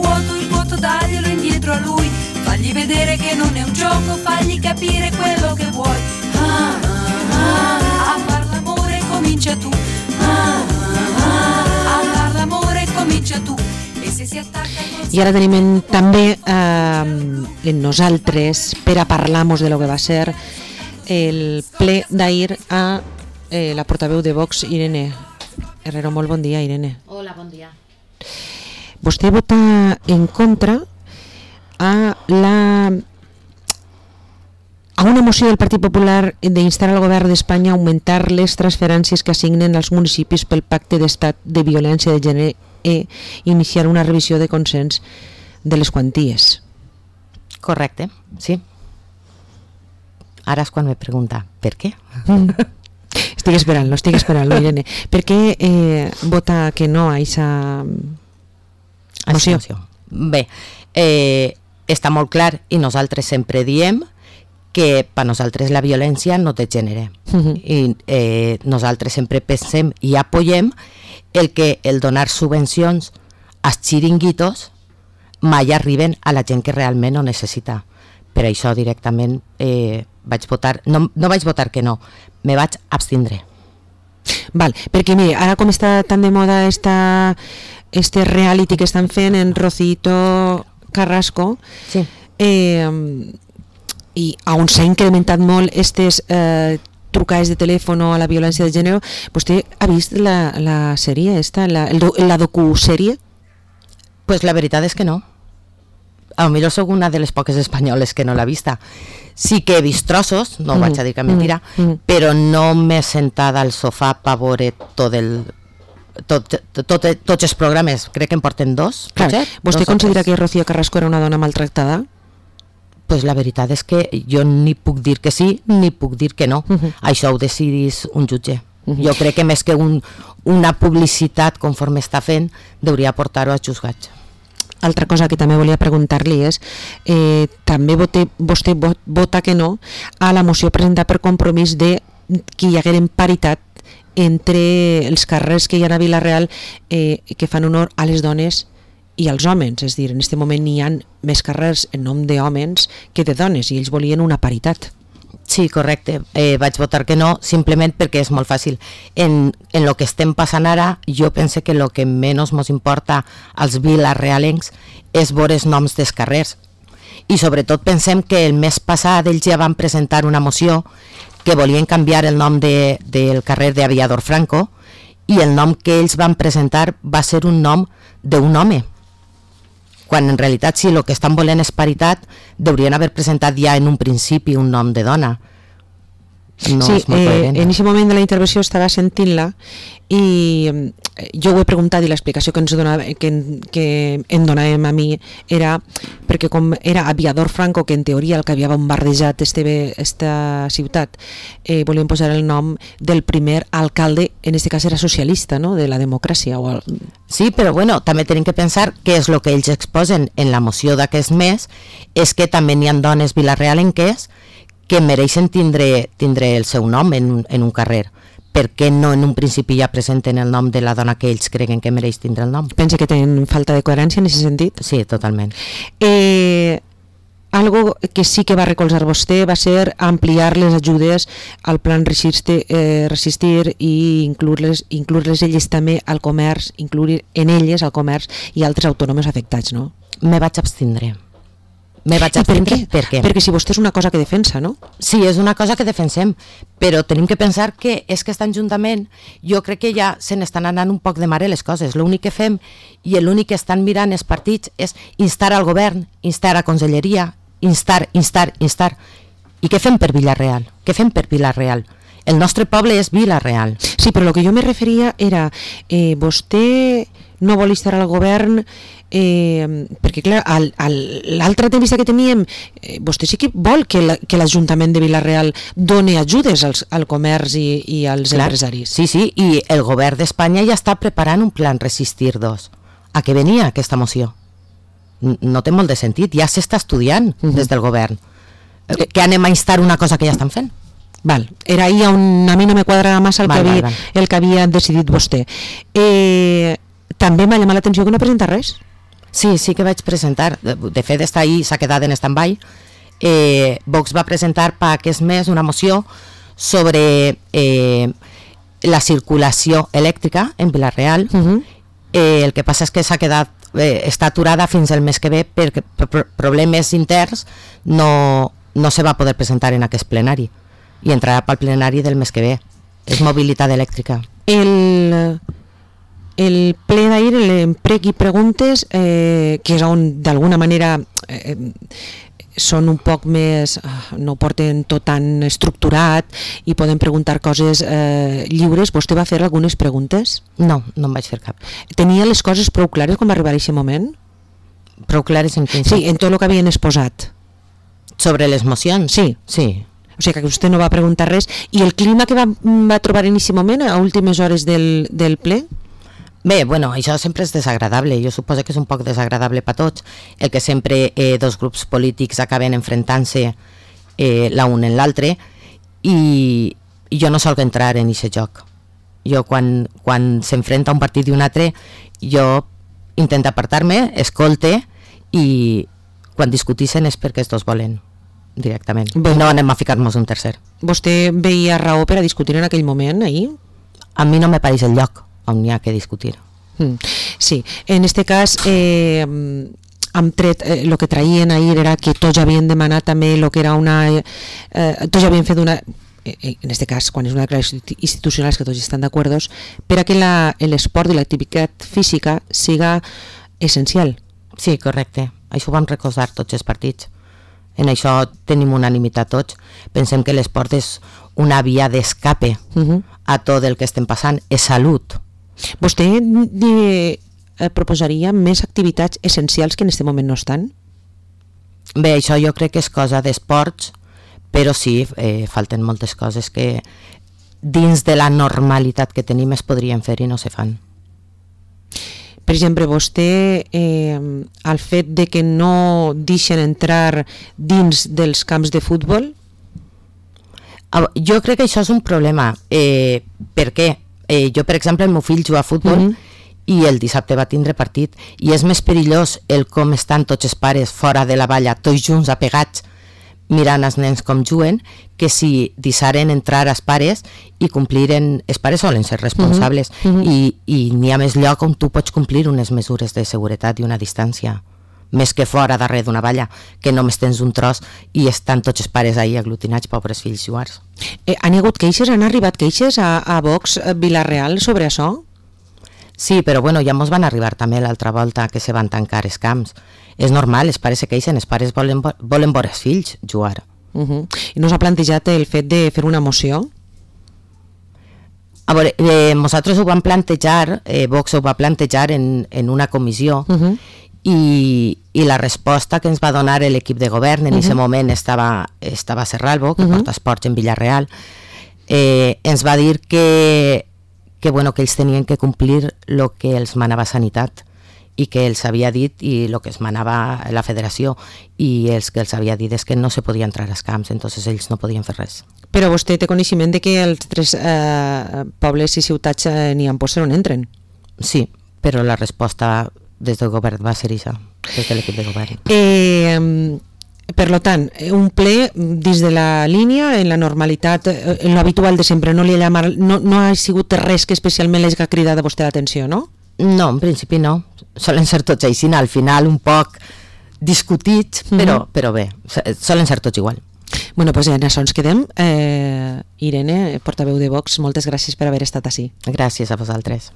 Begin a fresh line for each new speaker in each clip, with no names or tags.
il vuoto daglielo indietro a lui, fagli vedere che non è un gioco, fagli capire quello che vuoi. A far l'amore comincia tu, a far l'amore comincia tu.
I ara tenim també en nosaltres per a parlar-nos de lo que va ser el ple d'ahir a la portaveu de Vox, Irene Herrero. Molt bon dia, Irene.
Hola, bon dia.
Vostè vota en contra a una moció del Partit Popular d'instar al govern d'Espanya a augmentar les transferències que assignen als municipis pel pacte d'estat de violència de gènere i iniciar una revisió de consens de les quanties.
Correcte, sí. Ara és quan me pregunta, per què?
Estic esperant-lo, Irene. Per què vota que no a aquesta moció?
Bé, està molt clar i nosaltres sempre diem que per nosaltres la violència no té gènere. I nosaltres sempre pensem i apoyem el donar subvencions als xiringuitos mai arriben a la gent que realment ho necessita. Per això directament vaig votar, no vaig votar que no, me vaig abstindre.
Val, perquè mire, ara com està tan de moda este reality que estan fent en Rocito Carrasco,
sí.
I on s'ha incrementat molt aquestes trucades de telèfon a la violència de gènere, vostè ha vist la sèrie esta, la docusèrie?
Pues la veritat és que no. A lo millor soc una de les poques espanyoles que no l'ha vista. Sí que he vist trossos, no vaig a dir que mentira, però no m'he sentada al sofà per veure tots els programes. Crec que en porten dos.
Clar, vostè considera que Rocío Carrasco era una dona maltractada?
Pues la veritat és que jo ni puc dir que sí ni puc dir que no. Això ho decidís un jutge. Jo crec que més que una publicitat conforme està fent, hauria portar-ho als jutjats.
Altra cosa que també volia preguntar-li és també vostè vota que no a la moció presentada per Compromís de que hi hagueren paritat entre els càrrecs que hi ha a Vila-real que fan honor a les dones i als homes, és a dir, en aquest moment n'hi ha més càrrecs en nom d'homes que de dones i ells volien una paritat.
Sí, correcte. Vaig votar que no, simplement perquè és molt fàcil. En el que estem passant ara, jo penso que el que menys ens importa als vilarealencs és veure els noms dels carrers. I sobretot pensem que el mes passat ells ja van presentar una moció que volien canviar el nom del carrer d'Aviador Franco i el nom que ells van presentar va ser un nom d'un home. Quan en realitat si el que estan volent és paritat, haurien haver presentat ja en un principi un nom de dona. No
sí,
és molt coherent.
En aquest moment de la intervenció estava sentint-la i jo ho he preguntat i l'explicació que em donàvem a mi era perquè com era Aviador Franco, que en teoria el que havia bombardejat esta ciutat, volien posar el nom del primer alcalde, en aquest cas era socialista, no? De la democràcia.
Sí, però bueno, també tenim que pensar que és el que ells exposen en la moció d'aquest mes, és que també n'hi ha dones vilarealenques que mereixen tindre el seu nom en un carrer. Per què no en un principi ja presenten el nom de la dona que ells creguen que mereix tindre el nom?
Pensa que tenen falta de coherència en aquest sentit?
Sí, totalment.
Algo que sí que va recolzar vostè va ser ampliar les ajudes al plan Resistir i incloure-les elles també al comerç, incloure en elles al comerç i altres autònoms afectats, no?
Me vaig abstindre. Per què?
Perquè si vostè és una cosa que defensa, no?
Sí, és una cosa que defensem, però tenim que pensar que és que estan juntament, jo crec que ja se n'estan anant un poc de mare les coses. L'únic que fem i l'únic que estan mirant els partits és instar al govern, instar a conselleria, instar. I què fem per Vila-real? El nostre poble és Vila-real.
Sí, però el que jo me referia era vostè no vol instar al govern perquè clar, l'altra entrevista que teníem vostè sí que vol que l'Ajuntament de Vila-real doni ajudes al comerç i als empresaris.
Sí, i el govern d'Espanya ja està preparant un plan Resistir 2. A què venia aquesta moció? No té molt de sentit, ja s'està estudiant des del govern. Que anem a instar una cosa que ja estan fent?
Val, era ahí on a mi no me quadrava massa el que havia decidit vostè. També m'ha llamat l'atenció que no presenta res.
Sí que vaig presentar. De fet, està ahí, s'ha quedat en stand-by. Vox va presentar per aquest mes una moció sobre la circulació elèctrica en Vila-real. El que passa és que s'ha quedat, està aturada fins el mes que ve perquè per problemes interns no se va poder presentar en aquest plenari i entrarà pel plenari del mes que ve. És mobilitat elèctrica.
El ple d'ahir, l'emprec i preguntes, que és on d'alguna manera són un poc més, no ho porten tot tan estructurat i poden preguntar coses lliures. Vostè va fer algunes preguntes?
No em vaig fer cap.
Tenia les coses prou clares com arribar a aquest moment?
Prou clares en quin
sentit? Sí, en tot el que havien exposat.
Sobre les mocions?
Sí. O sigui que vostè no va preguntar res. I el clima que va trobar en aquest moment, a últimes hores del ple?
Bé, bueno, això sempre és desagradable, jo suposo que és un poc desagradable per tots, el que sempre dos grups polítics acaben enfrontant-se l'un en l'altre, i jo no solc entrar en aquest joc. Jo quan s'enfrenta un partit i un altre, jo intento apartar-me, escolte, i quan discutixen és perquè els dos volen directament. No anem a ficar-nos un tercer.
Vostè veia raó per a discutir en aquell moment, ahir?
A mi no me pareix el lloc on hi ha que discutir.
Sí, en este cas han tret, el que traien ahir era que tots havien demanat també el que era tots havien fet una, en este cas quan és una declaració institucional que tots estan d'acord, per a que l'esport i l'activitat física siga essencial.
Sí, correcte, això ho vam recordar tots els partits. En això tenim unanimitat tots. Pensem que l'esport és una via d'escape a tot el que estem passant, és salut.
Vostè proposaria més activitats essencials que en aquest moment no estan?
Bé, això jo crec que és cosa d'esports, però sí, falten moltes coses que dins de la normalitat que tenim es podrien fer i no se fan.
Per exemple, vostè, el fet de que no deixen entrar dins dels camps de futbol?
Jo crec que això és un problema. Per què? Jo, per exemple, el meu fill juga a futbol i el dissabte va tindre partit i és més perillós el com estan tots els pares fora de la valla, tots junts apegats, mirant els nens com juguen, que si deixaren entrar els pares i compliren, els pares solen ser responsables i n'hi ha més lloc on tu pots complir unes mesures de seguretat i una distància, més que fora darrere d'una valla, que només tens un tros i estan tots els pares ahí aglutinats, pobres fills jugars.
Han hagut queixes, han arribat queixes a Vox Vila-real sobre això?
Sí, però bueno, ja mos van arribar també l'altra volta que se van tancar els camps. És normal, els pares se queixen, els pares volen veure els fills jugar.
I no s'ha plantejat el fet de fer una moció?
A veure, nosaltres ho vam plantejar, Vox ho va plantejar en una comissió, i la resposta que ens va donar l'equip de govern en aquest moment estava Serralbo, que porta esports en Vila-real, ens va dir que ells tenien que complir el que els manava Sanitat i que els havia dit i el que es manava la federació, i els que els havia dit és que no se podia entrar als camps, entonces ells no podien fer res.
Però vostè té coneixement de que els tres pobles i ciutats n'hi ha posat on entren?
Sí, però la resposta des del govern va ser això, des de l'equip de govern.
Per tant, un ple dins de la línia, en la normalitat, en l'habitual de sempre, no ha sigut res que especialment l'hagi cridat a vostè l'atenció, no?
No, en principi no. Solen ser tots així, al final un poc discutits, però bé, solen ser tots igual.
Bueno, doncs en això ens quedem. Irene, portaveu de Vox, moltes gràcies per haver estat ací.
Gràcies a vosaltres.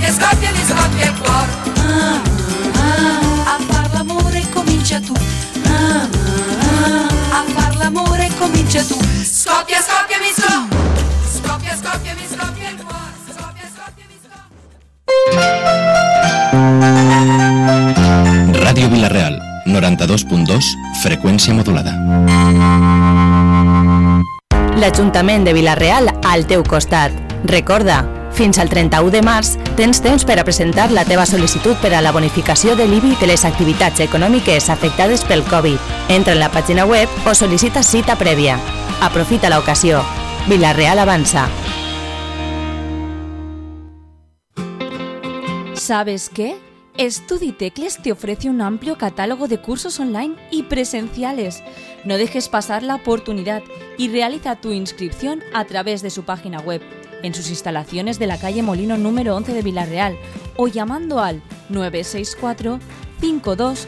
Scoppia il cuore. A far l'amore comincia tu. A far l'amore comincia tu. Scoppia mi scoppia. Scoppia mi scoppia il cuore. Scoppia mi scoppia.
Ràdio Vila-real, 92.2, freqüència modulada.
L'Ajuntament de Vila-real al teu costat. Recorda, fins al 31 de març tens temps per a presentar la teva sol·licitud per a la bonificació de l'IBI de les activitats econòmiques afectades pel Covid. Entra en la pàgina web o sol·licita cita prèvia. Aprofita l'ocasió. Vila-real avança.
¿Sabes qué? Studitecles te ofrece un amplio catálogo de cursos online y presenciales. No dejes pasar la oportunidad y realiza tu inscripción a través de su página web, en sus instalaciones de la calle Molino número 11 de Vila-real o llamando al 964 52